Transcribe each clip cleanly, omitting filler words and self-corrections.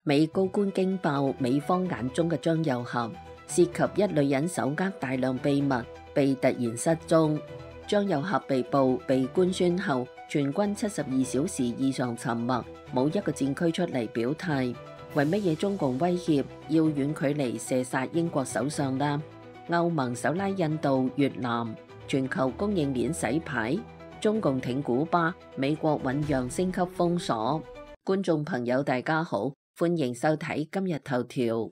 美高官驚爆美方眼中嘅張又俠，涉及一女人手握大量秘密，被突然失蹤。張又俠被捕被官宣後，全軍72小時異常沉默，冇一個戰區出嚟表態。為乜嘢中共威脅要遠距離射殺英國首相呢？歐盟手拉印度、越南，全球供應鏈洗牌，中共挺古巴，美國醞釀升級封鎖。觀眾朋友大家好，歡迎收睇今日頭條。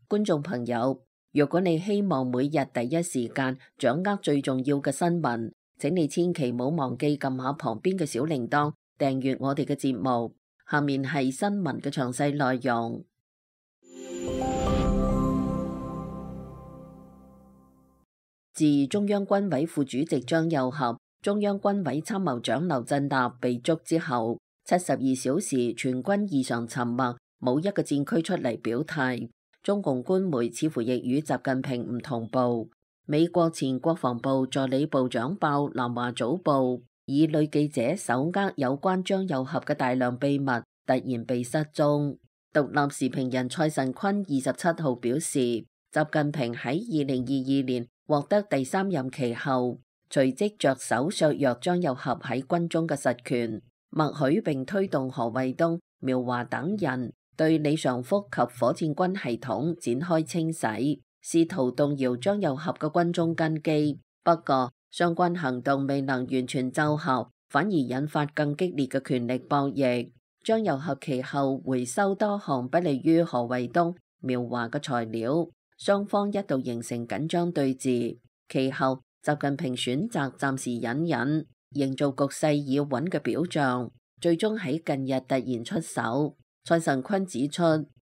觀眾朋友，如果你希望每日第一時間掌握最重要嘅新聞，請你千祈唔好忘記撳下旁邊嘅小鈴鐺，訂閱我哋嘅節目。下面係新聞嘅詳細內容。自中央軍委副主席張又俠、中央軍委參謀長劉振立被捉之後，72小時全軍異常沉默，冇一個戰區出嚟表態。中共官媒似乎亦與習近平唔同步。美國前國防部助理部長爆南華早報，以女記者手握有關張又俠嘅大量秘密，突然被失蹤。獨立時評人蔡慎坤27號表示，習近平喺2022年獲得第3任期後，隨即着手削弱張又俠喺軍中嘅實權，默許並推動何衛東、苗華等人對李尚福及火箭軍系統展開清洗，試圖動搖張又俠嘅軍中根基。不過，相關行動未能完全奏效，反而引發更激烈嘅權力博弈。張又俠其後回收多項不利於何衛東、苗華嘅材料，雙方一度形成緊張對峙。其後，習近平選擇暫時隱忍，營造局勢已穩嘅表象，最終喺近日突然出手。蔡慎坤指出，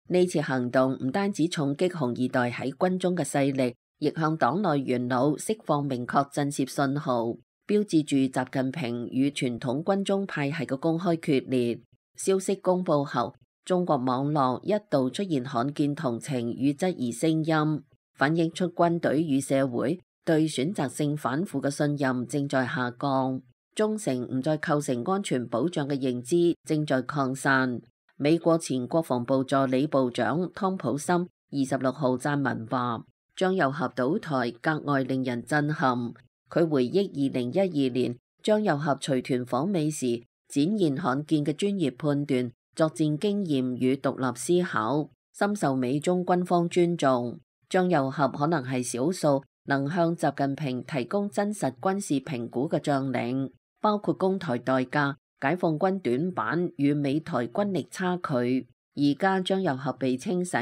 呢次行動唔單止重擊紅二代喺軍中嘅勢力，亦向黨內元老釋放明確震懾信號，標誌住習近平與傳統軍中派系嘅公開決裂。消息公布後，中國網絡一度出現罕見同情與質疑聲音，反映出軍隊與社會對選擇性反腐嘅信任正在下降，忠誠唔再構成安全保障嘅認知正在擴散。美國前國防部助理部長湯普森26號撰文話，張又俠倒台格外令人震撼。佢回憶2012年張又俠隨團訪美時，展現罕見嘅專業判斷、作戰經驗與獨立思考，深受美中軍方尊重。張又俠可能係少數能向習近平提供真實軍事評估嘅將領，包括攻台代價、解放軍短板與美台軍力差距。而家張又俠被清洗，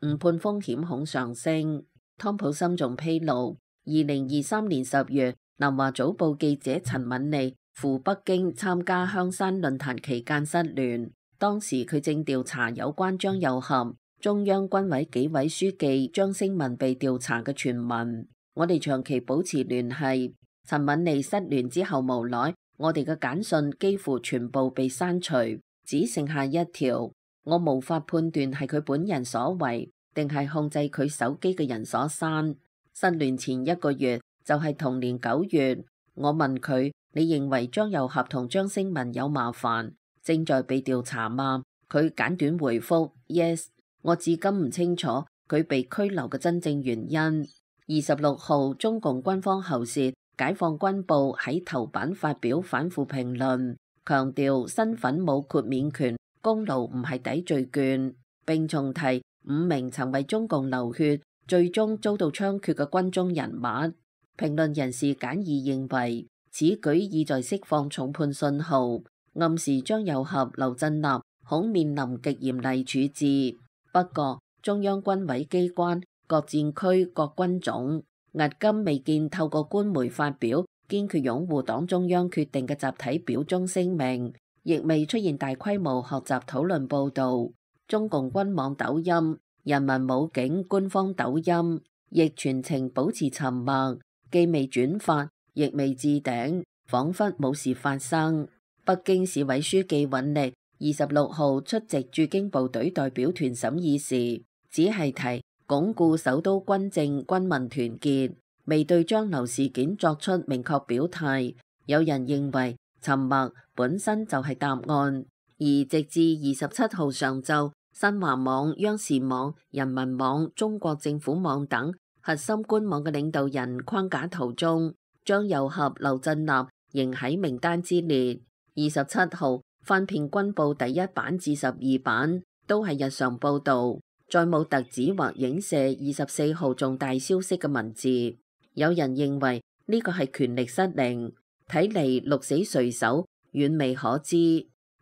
誤判風險恐上升。湯普森仲披露，2023年10月，南華早報記者陳敏莉赴北京參加香山論壇期間失聯，當時佢正調查有關張又俠、中央軍委紀委書記張升民被調查嘅傳聞。我哋長期保持聯繫。陳敏莉失聯之後無奈，我哋嘅簡訊幾乎全部被刪除，只剩下一條。我無法判斷係佢本人所為，定係控制佢手機嘅人所刪。失聯前1個月，就係同年9月，我問佢：你認為張又俠同張升民有麻煩，正在被調查嗎？佢簡短回覆 Yes。我至今唔清楚佢被拘留嘅真正原因。26號，中共軍方喉舌解放軍報喺頭版發表反腐評論，強調身份冇豁免權，功勞唔係抵罪券，並重提5名曾為中共流血，最終遭到槍決嘅軍中人物。評論人士簡易認為，此舉意在釋放重判信號，暗示張又俠、劉振立恐面臨極嚴厲處置。不過，中央軍委機關、各戰區、各軍種迄今未見透過官媒發表堅決擁護黨中央決定嘅集體表忠聲明，亦未出現大規模學習討論報導。中共軍網抖音、人民武警官方抖音亦全程保持沉默，既未轉發，亦未置頂，彷彿冇事發生。北京市委書記尹力26號出席駐京部隊代表團審議時，只係提鞏固首都軍政軍民團結，未對張劉事件作出明確表態。有人認為沉默本身就係答案，而直至27號上晝，新華網、央視網、人民網、中國政府網等核心官網嘅領導人框架圖中，張又俠、劉振立仍喺名單之列。27號翻遍軍報第1版至12版，都係日常報導，再冇特指或影射24號重大消息嘅文字。有人認為呢個係權力失靈，睇嚟鹿死誰手遠未可知。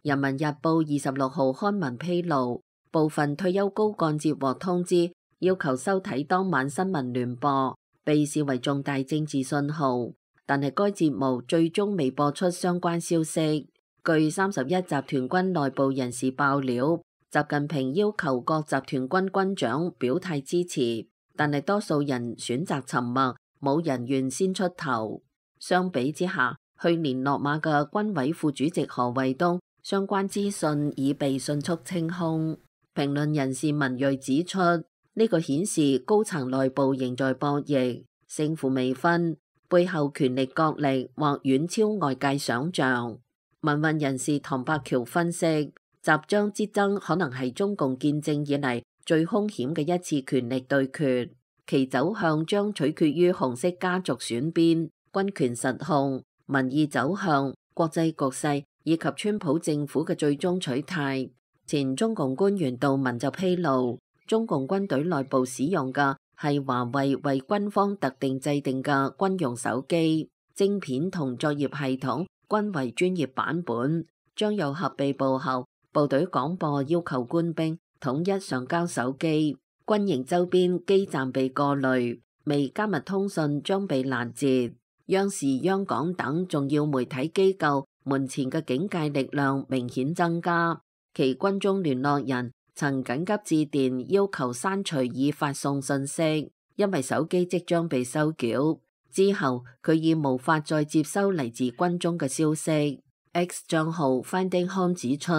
人民日報26號刊文披露，部分退休高幹接獲通知，要求收睇當晚新聞聯播，被視為重大政治信號。但係該節目最終未播出相關消息。據31集團軍內部人士爆料，習近平要求各集團軍軍長表態支持，但係多數人選擇沉默，冇人願先出頭。相比之下，去年落馬嘅軍委副主席何衛東相關資訊已被迅速清空。評論人士文銳指出，呢個顯示高層內部仍在博弈，勝負未分，背後權力角力或遠超外界想象。民運人士唐伯橋分析，習張之爭可能係中共建政以嚟最兇險嘅一次權力對決，其走向將取決於紅色家族選邊、軍權實控、民意走向、國際局勢以及川普政府嘅最終取態。前中共官員杜文就披露，中共軍隊內部使用嘅係華為為軍方特定制定嘅軍用手機，晶片同作業系統均為專業版本。張又俠被捕後，部隊廣播要求官兵統一上交手機，軍營周邊基站被過濾，未加密通訊將被攔截。央視、央廣等重要媒體機構門前嘅警戒力量明顯增加，其軍中聯絡人曾緊急致電要求刪除已發送信息，因為手機即將被收繳。之後佢已無法再接收嚟自軍中嘅消息。X 賬號 Finding Home 指出，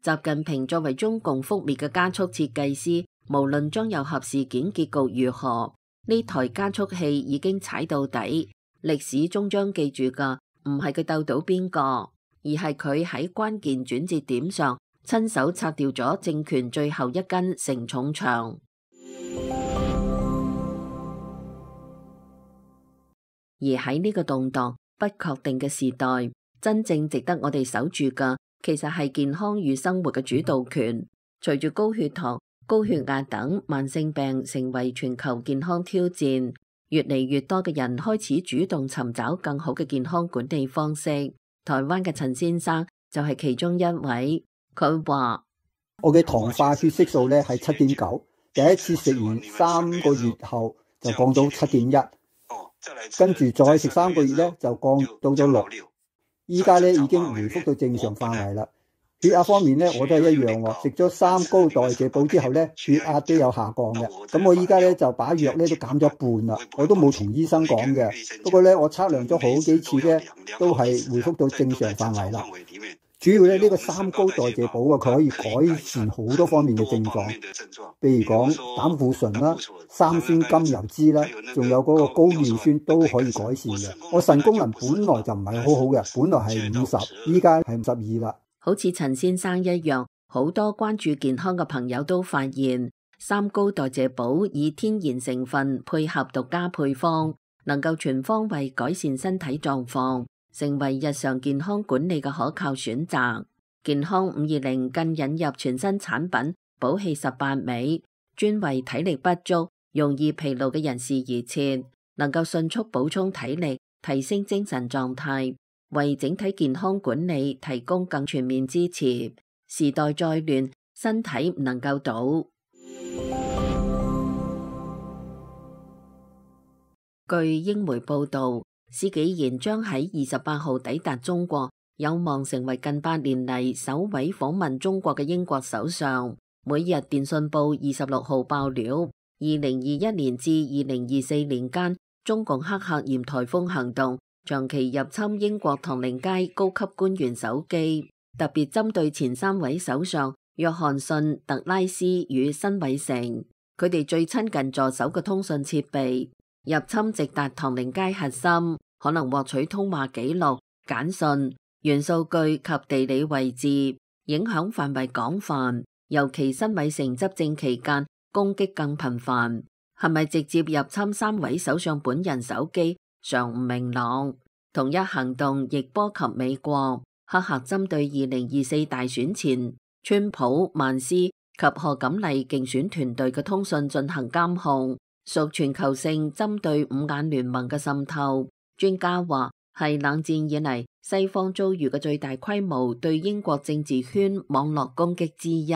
習近平作為中共覆滅嘅加速設計師，無論張又俠事件結局如何，呢台加速器已經踩到底。歷史終將記住嘅唔係佢鬥到邊個，而係佢喺關鍵轉折點上親手拆掉咗政權最後一根承重牆。而喺呢個動盪不確定嘅時代，真正值得我哋守住嘅，其實係健康與生活嘅主導權。隨住高血糖、高血壓等慢性病成為全球健康挑戰，越嚟越多嘅人開始主動尋找更好嘅健康管理方式。台灣嘅陳先生就係其中一位。佢話：我嘅糖化血色素咧係7.9，第一次食完3個月後就降到7.1，跟住再食3個月咧就降到咗6，依家咧已經回復到正常範圍啦。血壓方面咧我都係一樣喎，食咗3高代謝補之後咧血壓都有下降嘅。咁我依家咧就把藥咧都減咗一半啦，我都冇同醫生講嘅。不過咧我測量咗好幾次咧都係回復到正常範圍啦。主要咧呢個3高代謝補啊，佢可以改善好多方面嘅症狀，譬如講膽固醇啦、三酸甘油酯啦，仲有嗰個高尿酸都可以改善嘅。我腎功能本來就唔係好好嘅，本來係50，依家係52啦。好似陳先生一樣，好多關注健康嘅朋友都發現3高代謝補以天然成分配合獨家配方，能夠全方位改善身體狀況，成為日常健康管理嘅可靠選擇。健康520更引入全新產品補氣18味，專為體力不足、容易疲勞嘅人士而設，能夠迅速補充體力，提升精神狀態，為整體健康管理提供更全面支持。時代再亂，身體唔能夠倒。據英媒報道，施紀賢將喺28號抵達中國，有望成為近8年嚟首位訪問中國嘅英國首相。每日電訊報26號爆料，2021年至2024年間，中共黑客鹽颱風行動長期入侵英國唐寧街高級官員手機，特別針對前3位首相約翰遜、特拉斯與辛偉誠，佢哋最親近助手嘅通訊設備。入侵直達唐寧街核心，可能獲取通話記錄、簡訊、元數據及地理位置，影響範圍廣泛。尤其辛偉誠執政期間攻擊更頻繁。係咪直接入侵三位首相本人手機尚唔明朗。同一行動亦波及美國，黑客針對2024大選前川普、曼斯及賀錦麗競選團隊嘅通訊進行監控，屬全球性針對五眼聯盟嘅滲透。專家話係冷戰以嚟西方遭遇嘅最大規模對英國政治圈網絡攻擊之一。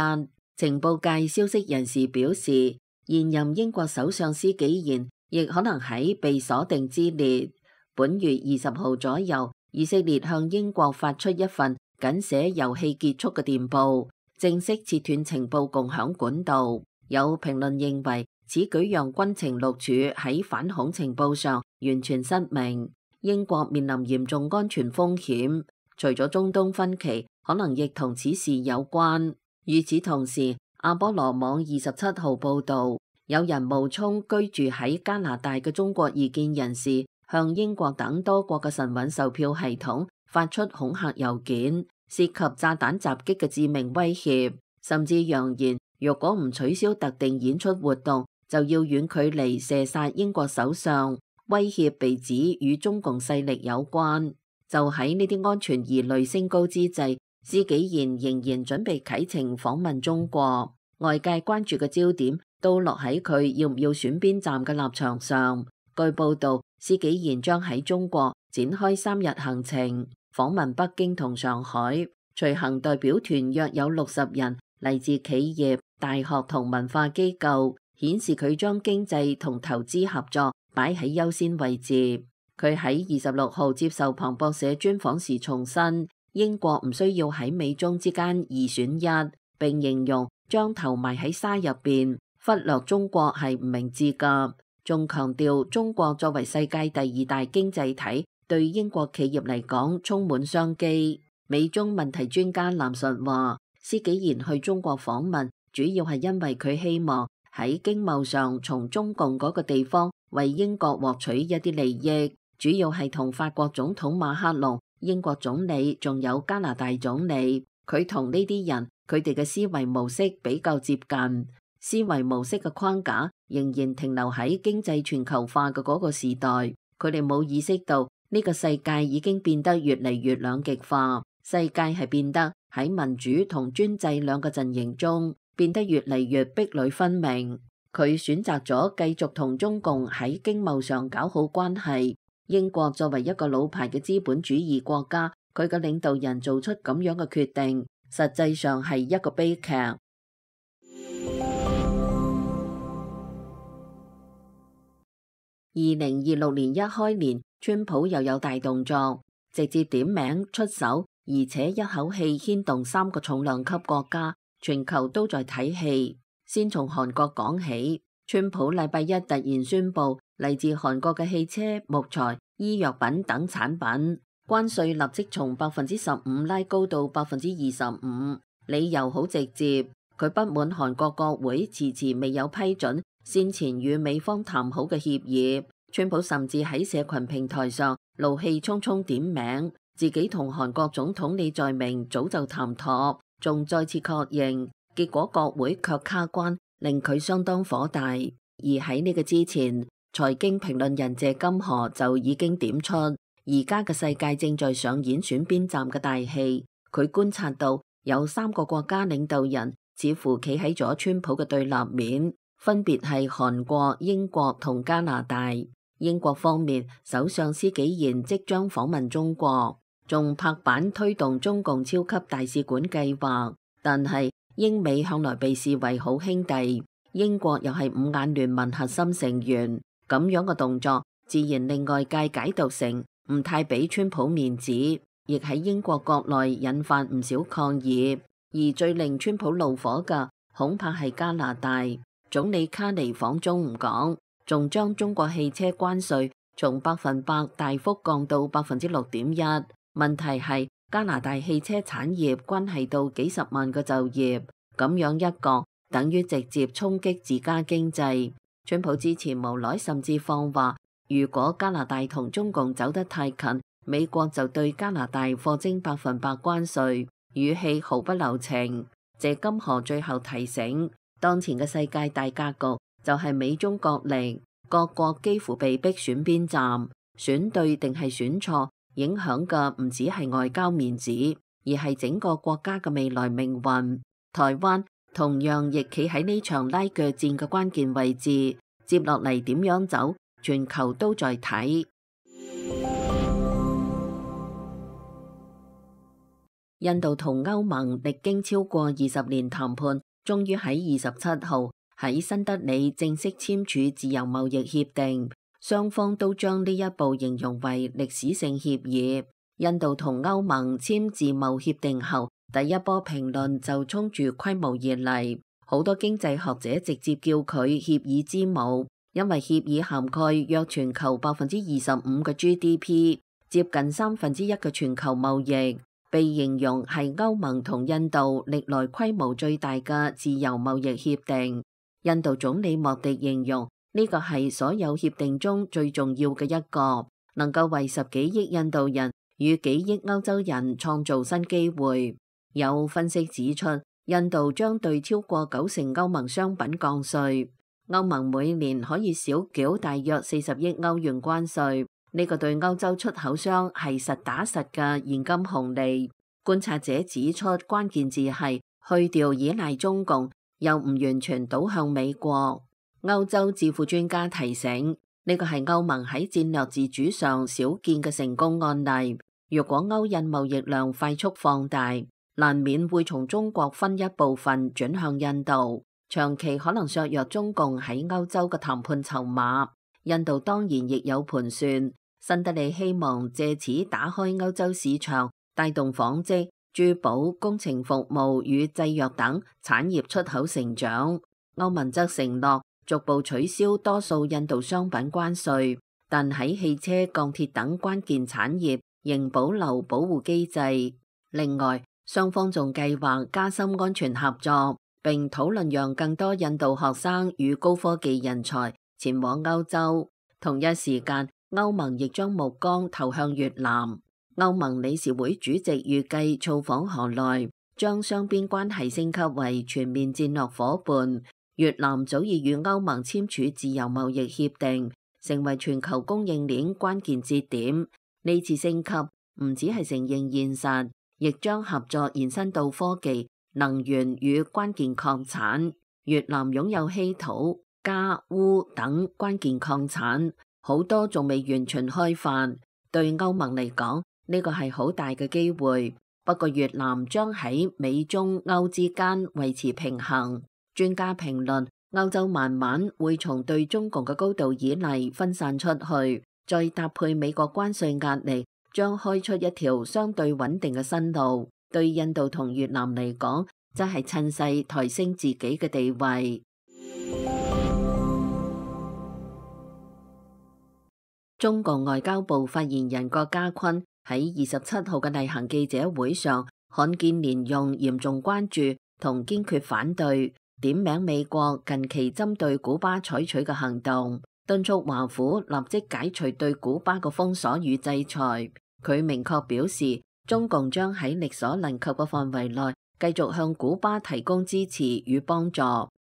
情報界消息人士表示，現任英國首相施紀賢亦可能喺被鎖定之列。本月20號左右，以色列向英國發出一份僅寫遊戲結束嘅電報，正式切斷情報共享管道。有評論認為，此舉讓軍情六處喺反恐情報上完全失明，英國面臨嚴重安全風險。除咗中東分歧，可能亦同此事有關。與此同時，阿波羅網27號報導，有人冒充居住喺加拿大嘅中國異見人士，向英國等多國嘅晨運售票系統發出恐嚇郵件，涉及炸彈襲擊嘅致命威脅，甚至揚言若果唔取消特定演出活動，就要遠距離射殺英國首相。威脅被指與中共勢力有關。就喺呢啲安全疑慮升高之際，施紀賢仍然準備啟程訪問中國，外界關注嘅焦點都落喺佢要唔要選邊站嘅立場上。據報道，施紀賢將喺中國展開3日行程，訪問北京同上海。隨行代表團約有60人，嚟自企業、大學同文化機構，顯示佢將經濟同投資合作擺喺優先位置。佢喺26號接受彭博社專訪時重申，英國唔需要喺美中之間二選一，並形容將頭埋喺沙入邊，忽略中國係唔明智㗎。仲強調中國作為世界第2大經濟體，對英國企業嚟講充滿商機。美中問題專家藍述話，施紀賢去中國訪問，主要係因為佢希望喺經貿上從中共嗰個地方為英國獲取一啲利益。主要係同法國總統馬克龍、英國總理仲有加拿大總理，佢同呢啲人佢哋嘅思維模式比較接近，思維模式嘅框架仍然停留喺經濟全球化嘅嗰個時代，佢哋冇意識到呢個世界已經變得越嚟越兩極化，世界係變得喺民主同專制兩個陣營中變得越嚟越壁壘分明。佢選擇咗繼續同中共喺經貿上搞好關係。英國作為一個老牌嘅資本主義國家，佢嘅領導人做出咁樣嘅決定，實際上係一個悲劇。2026年一開年，川普又有大動作，直接點名出手，而且一口氣牽動3個重量級國家，全球都在睇戲。先從韓國講起，川普禮拜一突然宣布，嚟自韓國嘅汽車、木材、醫藥品等產品關稅立即從15%拉高到25%，理由好直接，佢不滿韓國國會遲遲未有批准先前與美方談好嘅協議。川普甚至喺社群平台上怒氣沖沖點名，自己同韓國總統李在明早就談妥，仲再次確認，結果國會卻卡關，令佢相當火大。而喺呢個之前，財經評論人謝金河就已經點出，而家嘅世界正在上演選邊站嘅大戲。佢觀察到有3個國家領導人似乎企喺咗川普嘅對立面，分別係韓國、英國同加拿大。英國方面，首相施紀賢即將訪問中國，仲拍板推動中共超級大使館計劃。但係英美向來被視為好兄弟，英國又係五眼聯盟核心成員，咁樣嘅動作自然令外界解讀成唔太俾川普面子，亦喺英國國內引發唔少抗議。而最令川普怒火嘅恐怕係加拿大總理卡尼訪中唔講，仲將中國汽車關稅從100%大幅降到6.1%。問題係加拿大汽車產業關係到幾十萬個就業，咁樣一個等於直接衝擊自家經濟。川普之前無奈甚至放話，如果加拿大同中共走得太近，美國就對加拿大課徵100%關稅，語氣毫不留情。謝金河最後提醒，當前嘅世界大格局就係美中角力，各國幾乎被逼選邊站，選對定係選錯，影響嘅唔止係外交面子，而係整個國家嘅未來命運。台灣同樣亦企喺呢場拉鋸戰嘅關鍵位置，接落嚟點樣走，全球都在睇。印度同歐盟歷經超過20年談判，終於喺27號喺新德里正式簽署自由貿易協定，雙方都將呢一步形容為歷史性協議。印度同歐盟簽自貿協定後，第一波評論就衝住規模而嚟，好多經濟學者直接叫佢協議之母，因為協議涵蓋約全球25%嘅 GDP， 接近1/3嘅全球貿易，被形容係歐盟同印度歷來規模最大嘅自由貿易協定。印度總理莫迪形容呢個係所有協定中最重要嘅一個，能夠為10幾億印度人與幾億歐洲人創造新機會。有分析指出，印度將對超過90%歐盟商品降稅，歐盟每年可以少繳大約40億歐元關稅，呢個對歐洲出口商係實打實嘅現金紅利。觀察者指出，關鍵字係去掉依賴中共，又唔完全倒向美國。歐洲智庫專家提醒，呢個係歐盟喺戰略自主上少見嘅成功案例。若果歐印貿易量快速放大，難免會從中國分一部分轉向印度，長期可能削弱中共喺歐洲嘅談判籌碼。印度當然亦有盤算，新德里希望借此打開歐洲市場，帶動紡織、珠寶、工程服務與製藥等產業出口成長。歐盟則承諾逐步取消多數印度商品關稅，但喺汽車、鋼鐵等關鍵產業仍保留保護機制。另外，雙方仲計劃加深安全合作，並討論讓更多印度學生與高科技人才前往歐洲。同一時間，歐盟亦將目光投向越南。歐盟理事會主席預計造訪河內，將雙邊關係升級為全面戰略夥伴。越南早已與歐盟簽署自由貿易協定，成為全球供應鏈關鍵節點。呢次升級唔只係承認現實，亦將合作延伸到科技、能源與關鍵礦產。越南擁有稀土、鎵、鎢等關鍵礦產，好多仲未完全開發。對歐盟嚟講，呢個係好大嘅機會。不過越南將喺美中歐之間維持平衡。專家評論，歐洲慢慢會從對中共嘅高度依賴分散出去，再搭配美國關稅壓力，將開出一條相對穩定嘅新路。對印度同越南嚟講，則係趁勢抬升自己嘅地位。中共外交部發言人郭家坤喺27號嘅例行記者會上，罕見連用嚴重關注同堅決反對，點名美國近期針對古巴採取嘅行動，敦促華府立即解除對古巴嘅封鎖與制裁。佢明確表示，中共將喺力所能及嘅範圍內繼續向古巴提供支持與幫助，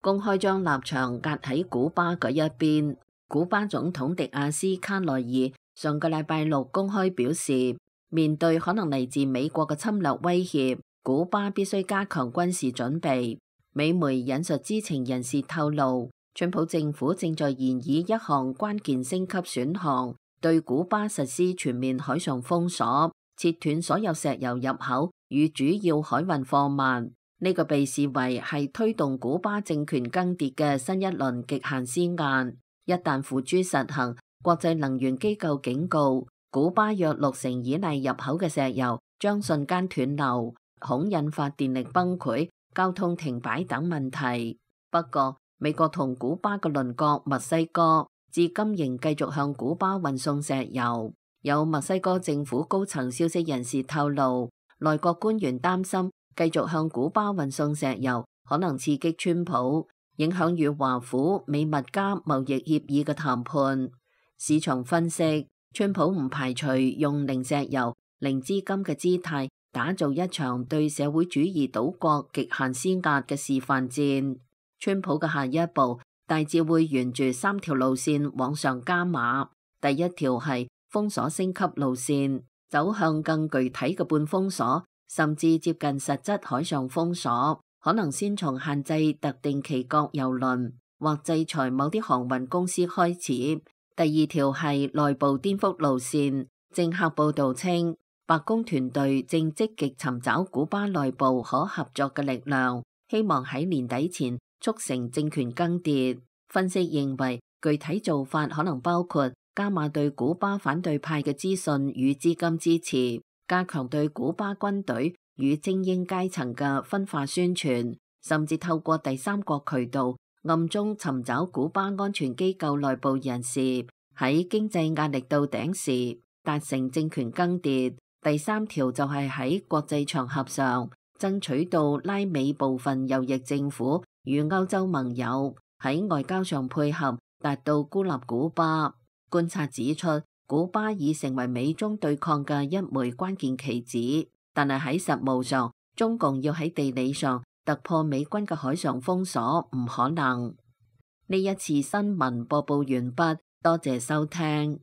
公開將立場壓喺古巴嗰一邊。古巴總統迪亞斯卡內爾上個禮拜六公開表示，面對可能嚟自美國嘅侵略威脅，古巴必須加強軍事準備。美媒引述知情人士透露，川普政府正在研議一項關鍵升級選項，對古巴實施全面海上封鎖，切斷所有石油入口與主要海運貨物。呢個被視為係推動古巴政權更迭嘅新一輪極限施壓。一旦付諸實行，國際能源機構警告，古巴約60%依賴入口嘅石油將瞬間斷流，恐引發電力崩潰、交通停擺等問題。不過，美國同古巴嘅鄰國墨西哥至今仍繼續向古巴運送石油。有墨西哥政府高層消息人士透露，內閣官員擔心繼續向古巴運送石油可能刺激川普，影響與華府美墨加貿易協議嘅談判。市場分析，川普唔排除用零石油、零資金嘅姿態打造一場對社會主義島國極限施壓嘅示範戰。川普嘅下一步大致會沿住3條路線往上加碼。第一條係封鎖升級路線，走向更具體嘅半封鎖，甚至接近實質海上封鎖，可能先從限制特定旗國郵輪或制裁某啲航運公司開始。第二條係內部顛覆路線。政客報道稱，白宮團隊正積極尋找古巴內部可合作嘅力量，希望喺年底前促成政權更迭。分析認為，具體做法可能包括加碼對古巴反對派嘅資訊與資金支持，加強對古巴軍隊與精英階層嘅分化宣傳，甚至透過第三國渠道暗中尋找古巴安全機構內部人士，喺經濟壓力到頂時達成政權更迭。第三條就係喺國際場合上爭取到拉美部分右翼政府與歐洲盟友喺外交上配合，達到孤立古巴。觀察指出，古巴已成為美中對抗嘅一枚關鍵棋子，但係喺實務上，中共要喺地理上突破美軍嘅海上封鎖唔可能。呢一次新聞播報完畢，多謝收聽。